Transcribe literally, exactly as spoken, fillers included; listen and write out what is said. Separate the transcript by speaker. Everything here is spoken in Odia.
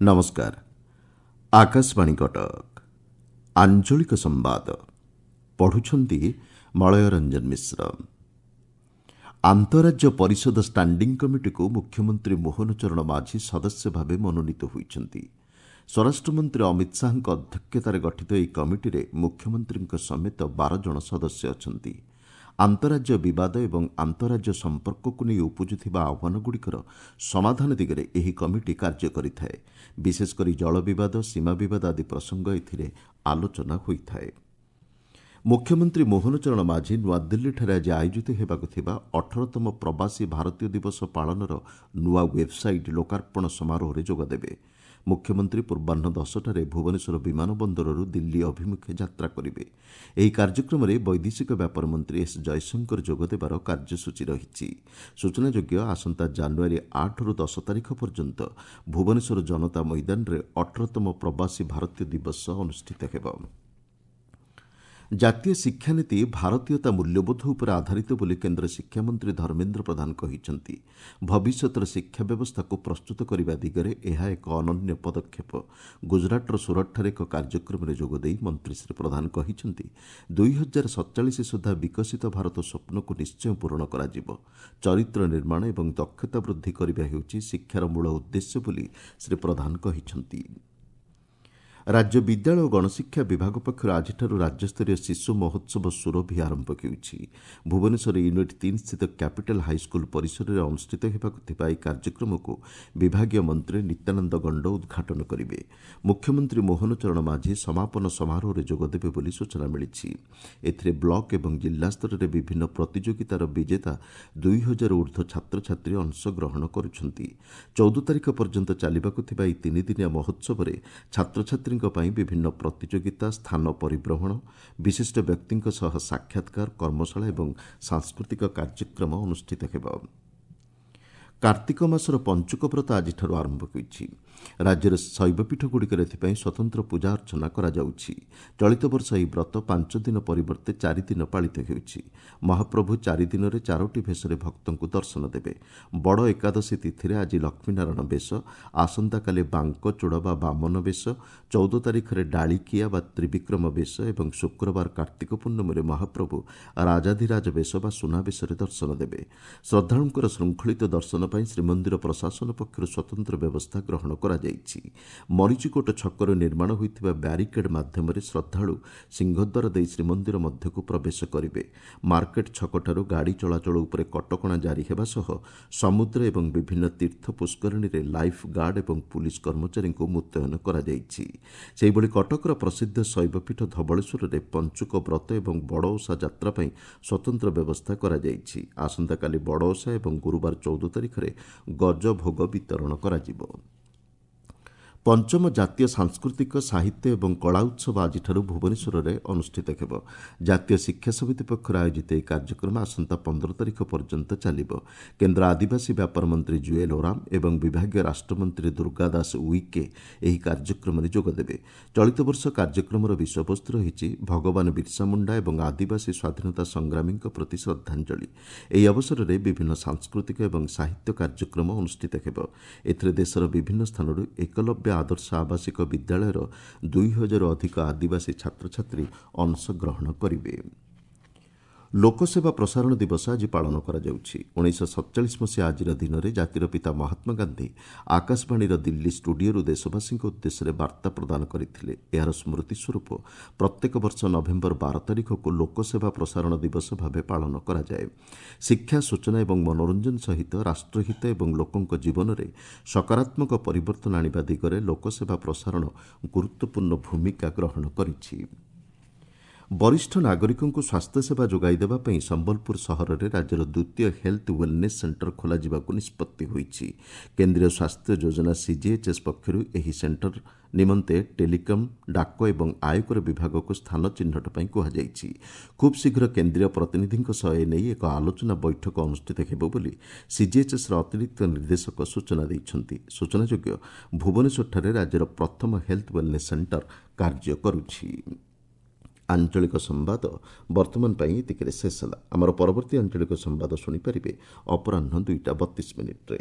Speaker 1: ନମସ୍କାର ଆକାଶବାଣୀ କଟକ ଆଞ୍ଚଳିକ ସମ୍ବାଦ ପଢୁଛନ୍ତି ମଳୟ ରଞ୍ଜନ ମିଶ୍ର ଆନ୍ତଃରାଜ୍ୟ ପରିଷଦ ଷ୍ଟାଣ୍ଡିଂ କମିଟିକୁ ମୁଖ୍ୟମନ୍ତ୍ରୀ ମୋହନ ଚରଣ ମାଝୀ ସଦସ୍ୟ ଭାବେ ମନୋନୀତ ହୋଇଛନ୍ତି ସ୍ୱରାଷ୍ଟ୍ରମନ୍ତ୍ରୀ ଅମିତ ଶାହାଙ୍କ ଅଧ୍ୟକ୍ଷତାରେ ଗଠିତ ଏହି କମିଟିରେ ମୁଖ୍ୟମନ୍ତ୍ରୀଙ୍କ ସମେତ ବାର ଜଣ ସଦସ୍ୟ ଅଛନ୍ତି ଆନ୍ତଃରାଜ୍ୟ ବିବାଦ ଏବଂ ଆନ୍ତଃରାଜ୍ୟ ସମ୍ପର୍କକୁ ନେଇ ଉପୁଜୁଥିବା ଆହ୍ୱାନଗୁଡ଼ିକର ସମାଧାନ ଦିଗରେ ଏହି କମିଟି କାର୍ଯ୍ୟ କରିଥାଏ ବିଶେଷକରି ଜଳ ବିବାଦ ସୀମା ବିବାଦ ଆଦି ପ୍ରସଙ୍ଗ ଏଥିରେ ଆଲୋଚନା ହୋଇଥାଏ ମୁଖ୍ୟମନ୍ତ୍ରୀ ମୋହନ ଚରଣ ମାଝୀ ନୂଆଦିଲ୍ଲୀଠାରେ ଆଜି ଆୟୋଜିତ ହେବାକୁ ଥିବା ଅଠରତମ ପ୍ରବାସୀ ଭାରତୀୟ ଦିବସ ପାଳନର ନୂଆ ୱେବ୍ସାଇଟ୍ ଲୋକାର୍ପଣ ସମାରୋହରେ ଯୋଗଦେବେ ମୁଖ୍ୟମନ୍ତ୍ରୀ ପୂର୍ବାହ୍ନ ଦଶଟାରେ ଭୁବନେଶ୍ୱର ବିମାନ ବନ୍ଦରରୁ ଦିଲ୍ଲୀ ଅଭିମୁଖେ ଯାତ୍ରା କରିବେ ଏହି କାର୍ଯ୍ୟକ୍ରମରେ ବୈଦେଶିକ ବ୍ୟାପାର ମନ୍ତ୍ରୀ ଏସ୍ ଜୟଶଙ୍କର ଯୋଗଦେବାର କାର୍ଯ୍ୟସୂଚୀ ରହିଛି ସୂଚନାଯୋଗ୍ୟ ଆସନ୍ତା ଜାନୁଆରୀ ଆଠରୁ ଦଶ ତାରିଖ ପର୍ଯ୍ୟନ୍ତ ଭୁବନେଶ୍ୱର ଜନତା ମଇଦାନରେ ଅଠରତମ ପ୍ରବାସୀ ଭାରତୀୟ ଦିବସ ଅନୁଷ୍ଠିତ ହେବ ଜାତୀୟ ଶିକ୍ଷାନୀତି ଭାରତୀୟତା ମୂଲ୍ୟବୋଧ ଉପରେ ଆଧାରିତ ବୋଲି କେନ୍ଦ୍ର ଶିକ୍ଷାମନ୍ତ୍ରୀ ଧର୍ମେନ୍ଦ୍ର ପ୍ରଧାନ କହିଛନ୍ତି ଭବିଷ୍ୟତର ଶିକ୍ଷା ବ୍ୟବସ୍ଥାକୁ ପ୍ରସ୍ତୁତ କରିବା ଦିଗରେ ଏହା ଏକ ଅନନ୍ୟ ପଦକ୍ଷେପ ଗୁଜରାଟର ସୁରଟଠାରେ ଏକ କାର୍ଯ୍ୟକ୍ରମରେ ଯୋଗଦେଇ ମନ୍ତ୍ରୀ ଶ୍ରୀ ପ୍ରଧାନ କହିଛନ୍ତି ଦୁଇ ହଜାର ସତଚାଳିଶ ସୁଦ୍ଧା ବିକଶିତ ଭାରତ ସ୍ୱପ୍ନକୁ ନିଶ୍ଚୟ ପୂରଣ କରାଯିବ ଚରିତ୍ର ନିର୍ମାଣ ଏବଂ ଦକ୍ଷତା ବୃଦ୍ଧି କରିବା ହେଉଛି ଶିକ୍ଷାର ମୂଳ ଉଦ୍ଦେଶ୍ୟ ବୋଲି ଶ୍ରୀ ପ୍ରଧାନ କହିଛନ୍ତି ରାଜ୍ୟ ବିଦ୍ୟାଳୟ ଓ ଗଣଶିକ୍ଷା ବିଭାଗ ପକ୍ଷରୁ ଆଜିଠାରୁ ରାଜ୍ୟସ୍ତରୀୟ ଶିଶୁ ମହୋତ୍ସବ ସୁରଭି ଆରମ୍ଭ ହେଉଛି ଭୁବନେଶ୍ୱର ୟୁନିଟ୍ ତିନି ସ୍ଥିତ କ୍ୟାପିଟାଲ ହାଇସ୍କୁଲ ପରିସରରେ ଅନୁଷ୍ଠିତ ହେବାକୁ ଥିବା ଏହି କାର୍ଯ୍ୟକ୍ରମକୁ ବିଭାଗୀୟ ମନ୍ତ୍ରୀ ନିତ୍ୟାନନ୍ଦ ଗଣ୍ଡ ଉଦ୍ଘାଟନ କରିବେ ମୁଖ୍ୟମନ୍ତ୍ରୀ ମୋହନ ଚରଣ ମାଝୀ ସମାପନ ସମାରୋହରେ ଯୋଗଦେବେ ବୋଲି ସୂଚନା ମିଳିଛି ଏଥିରେ ବ୍ଲକ ଏବଂ ଜିଲ୍ଲାସ୍ତରରେ ବିଭିନ୍ନ ପ୍ରତିଯୋଗିତାର ବିଜେତା ଦୁଇ ହଜାର ଉର୍ଦ୍ଧ୍ୱ ଛାତ୍ରଛାତ୍ରୀ ଅଂଶଗ୍ରହଣ କରୁଛନ୍ତି ଚଉଦ ତାରିଖ ପର୍ଯ୍ୟନ୍ତ ଚାଲିବାକୁ ଥିବା ଏହି ତିନିଦିନିଆ ମହୋତ୍ସବରେ ଛାତ୍ରଛାତ୍ରୀ ପାଇଁ ବିଭିନ୍ନ ପ୍ରତିଯୋଗିତା ସ୍ଥାନ ପରିଭ୍ରମଣ ବିଶିଷ୍ଟ ବ୍ୟକ୍ତିଙ୍କ ସହ ସାକ୍ଷାତକାର କର୍ମଶାଳା ଏବଂ ସାଂସ୍କୃତିକ କାର୍ଯ୍ୟକ୍ରମ ଅନୁଷ୍ଠିତ ହେବ କାର୍ତ୍ତିକ ମାସର ପଞ୍ଚୁକ ବ୍ରତ ଆଜିଠାରୁ ଆରମ୍ଭ ହୋଇଛି ରାଜ୍ୟର ଶୈବପୀଠଗୁଡ଼ିକରେ ଏଥିପାଇଁ ସ୍ୱତନ୍ତ୍ର ପୂଜା ଅର୍ଚ୍ଚନା କରାଯାଉଛି ଚଳିତ ବର୍ଷ ଏହି ବ୍ରତ ପାଞ୍ଚ ଦିନ ପରିବର୍ତ୍ତେ ଚାରିଦିନ ପାଳିତ ହେଉଛି ମହାପ୍ରଭୁ ଚାରିଦିନରେ ଚାରୋଟି ଭେଷରେ ଭକ୍ତଙ୍କୁ ଦର୍ଶନ ଦେବେ ବଡ଼ ଏକାଦଶୀ ତିଥିରେ ଆଜି ଲକ୍ଷ୍ମୀନାରାୟଣ ବେଶ ଆସନ୍ତାକାଲି ବାଙ୍କଚୂଡ଼ ବା ବାମନ ବେଶ ଚଉଦ ତାରିଖରେ ଡାଳିକିଆ ବା ତ୍ରିବିକ୍ରମ ବେଶ ଏବଂ ଶୁକ୍ରବାର କାର୍ତ୍ତିକ ପୂର୍ଣ୍ଣମୀରେ ମହାପ୍ରଭୁ ରାଜାଧିରାଜ ବେଶ ବା ସୁନାବେଶରେ ଦର୍ଶନ ଦେବେ ଶ୍ରଦ୍ଧାଳୁଙ୍କର ଶୃଙ୍ଖଳିତ ଦର୍ଶନ ପାଇଁ ଶ୍ରୀମନ୍ଦିର ପ୍ରଶାସନ ପକ୍ଷରୁ ସ୍ୱତନ୍ତ୍ର ବ୍ୟବସ୍ଥା ଗ୍ରହଣ କରାଯାଇଛି ମରିଚିକୋଟ ଛକରୁ ନିର୍ମାଣ ହୋଇଥିବା ବ୍ୟାରିକେଡ୍ ମାଧ୍ୟମରେ ଶ୍ରଦ୍ଧାଳୁ ସିଂହଦ୍ୱାର ଦେଇ ଶ୍ରୀମନ୍ଦିର ମଧ୍ୟକୁ ପ୍ରବେଶ କରିବେ ମାର୍କେଟ ଛକଠାରୁ ଗାଡ଼ି ଚଳାଚଳ ଉପରେ କଟକଣା ଜାରି ହେବା ସହ ସମୁଦ୍ର ଏବଂ ବିଭିନ୍ନ ତୀର୍ଥ ପୁଷ୍କରିଣୀରେ ଲାଇଫ୍ ଗାର୍ଡ ଏବଂ ପୁଲିସ୍ କର୍ମଚାରୀଙ୍କୁ ମୁତୟନ କରାଯାଇଛି ସେହିଭଳି କଟକର ପ୍ରସିଦ୍ଧ ଶୈବପୀଠ ଧବଳେଶ୍ୱରରେ ପଞ୍ଚୁକ ବ୍ରତ ଏବଂ ବଡ଼ ଓଷା ଯାତ୍ରା ପାଇଁ ସ୍ୱତନ୍ତ୍ର ବ୍ୟବସ୍ଥା କରାଯାଇଛି ଆସନ୍ତାକାଲି ବଡ଼ ଓଷା ଏବଂ ଗୁରୁବାର ଚଉଦ ତାରିଖରେ ଗଜଭୋଗ ବିତରଣ କରାଯିବ ପଞ୍ଚମ ଜାତୀୟ ସାଂସ୍କୃତିକ ସାହିତ୍ୟ ଏବଂ କଳା ଉତ୍ସବ ଆଜିଠାରୁ ଭୁବନେଶ୍ୱରରେ ଅନୁଷ୍ଠିତ ହେବ ଜାତୀୟ ଶିକ୍ଷା ସମିତି ପକ୍ଷରୁ ଆୟୋଜିତ ଏହି କାର୍ଯ୍ୟକ୍ରମ ଆସନ୍ତା ପନ୍ଦର ତାରିଖ ପର୍ଯ୍ୟନ୍ତ ଚାଲିବ କେନ୍ଦ୍ର ଆଦିବାସୀ ବ୍ୟାପାର ମନ୍ତ୍ରୀ ଜୁଏଲ ଓରାମ ଏବଂ ବିଭାଗୀୟ ରାଷ୍ଟ୍ରମନ୍ତ୍ରୀ ଦୁର୍ଗା ଦାସ ଉଇକେ ଏହି କାର୍ଯ୍ୟକ୍ରମରେ ଯୋଗଦେବେ ଚଳିତ ବର୍ଷ କାର୍ଯ୍ୟକ୍ରମର ବିଷୟବସ୍ତୁ ରହିଛି ଭଗବାନ ବିର୍ସା ମୁଣ୍ଡା ଏବଂ ଆଦିବାସୀ ସ୍ୱାଧୀନତା ସଂଗ୍ରାମୀଙ୍କ ପ୍ରତି ଶ୍ରଦ୍ଧାଞ୍ଜଳି ଏହି ଅବସରରେ ବିଭିନ୍ନ ସାଂସ୍କୃତିକ ଏବଂ ସାହିତ୍ୟ କାର୍ଯ୍ୟକ୍ରମ ଅନୁଷ୍ଠିତ ହେବ ଏଥିରେ ଦେଶର ବିଭିନ୍ନ ସ୍ଥାନରୁ ଏକଲବ୍ୟ ଆଦର୍ଶ ଆବାସିକ ବିଦ୍ୟାଳୟର ଦୁଇ ହଜାରରୁ ଅଧିକ ଆଦିବାସୀ ଛାତ୍ରଛାତ୍ରୀ ଅଂଶଗ୍ରହଣ କରିବେ ଲୋକସେବା ପ୍ରସାରଣ ଦିବସ ଆଜି ପାଳନ କରାଯାଉଛି ଉଣେଇଶହ ସତଚାଳିଶ ମସିହା ଆଜିର ଦିନରେ ଜାତିର ପିତା ମହାତ୍ମା ଗାନ୍ଧୀ ଆକାଶବାଣୀର ଦିଲ୍ଲୀ ଷ୍ଟୁଡିଓରୁ ଦେଶବାସୀଙ୍କ ଉଦ୍ଦେଶ୍ୟରେ ବାର୍ତ୍ତା ପ୍ରଦାନ କରିଥିଲେ ଏହାର ସ୍ମୃତି ସ୍ୱରୂପ ପ୍ରତ୍ୟେକ ବର୍ଷ ନଭେମ୍ବର ବାର ତାରିଖକୁ ଲୋକସେବା ପ୍ରସାରଣ ଦିବସ ଭାବେ ପାଳନ କରାଯାଏ ଶିକ୍ଷା ସୂଚନା ଏବଂ ମନୋରଞ୍ଜନ ସହିତ ରାଷ୍ଟ୍ରହିତ ଏବଂ ଲୋକଙ୍କ ଜୀବନରେ ସକାରାତ୍ମକ ପରିବର୍ତ୍ତନ ଆଣିବା ଦିଗରେ ଲୋକସେବା ପ୍ରସାରଣ ଗୁରୁତ୍ୱପୂର୍ଣ୍ଣ ଭୂମିକା ଗ୍ରହଣ କରିଛି ବରିଷ୍ଠ ନାଗରିକଙ୍କୁ ସ୍ୱାସ୍ଥ୍ୟସେବା ଯୋଗାଇ ଦେବା ପାଇଁ ସମ୍ବଲପୁର ସହରରେ ରାଜ୍ୟର ଦ୍ୱିତୀୟ ହେଲ୍ଥ ୱେଲନେସ୍ ସେଣ୍ଟର ଖୋଲାଯିବାକୁ ନିଷ୍ପତ୍ତି ହୋଇଛି କେନ୍ଦ୍ରୀୟ ସ୍ୱାସ୍ଥ୍ୟ ଯୋଜନା ସିଜିଏଚ୍ଏସ୍ ପକ୍ଷରୁ ଏହି ସେଣ୍ଟର ନିମନ୍ତେ ଟେଲିକମ୍ ଡାକ ଏବଂ ଆୟକର ବିଭାଗକୁ ସ୍ଥାନ ଚିହ୍ନଟ ପାଇଁ କୁହାଯାଇଛି ଖୁବ୍ ଶୀଘ୍ର କେନ୍ଦ୍ରୀୟ ପ୍ରତିନିଧିଙ୍କ ସହ ଏନେଇ ଏକ ଆଲୋଚନା ବୈଠକ ଅନୁଷ୍ଠିତ ହେବ ବୋଲି ସିଜିଏଚ୍ଏସ୍ର ଅତିରିକ୍ତ ନିର୍ଦ୍ଦେଶକ ସୂଚନା ଦେଇଛନ୍ତି ସୂଚନାଯୋଗ୍ୟ ଭୁବନେଶ୍ୱରଠାରେ ରାଜ୍ୟର ପ୍ରଥମ ହେଲ୍ଥ ୱେଲନେସ୍ ସେଣ୍ଟର କାର୍ଯ୍ୟ କରୁଛି ଆଞ୍ଚଳିକ ସମ୍ବାଦ ବର୍ତ୍ତମାନ ପାଇଁ ଏତିକିରେ ଶେଷ ହେଲା ଆମର ପରବର୍ତ୍ତୀ ଆଞ୍ଚଳିକ ସମ୍ବାଦ ଶୁଣିପାରିବେ ଅପରାହ୍ନ ଦୁଇଟା ବତିଶ ମିନିଟ୍ରେ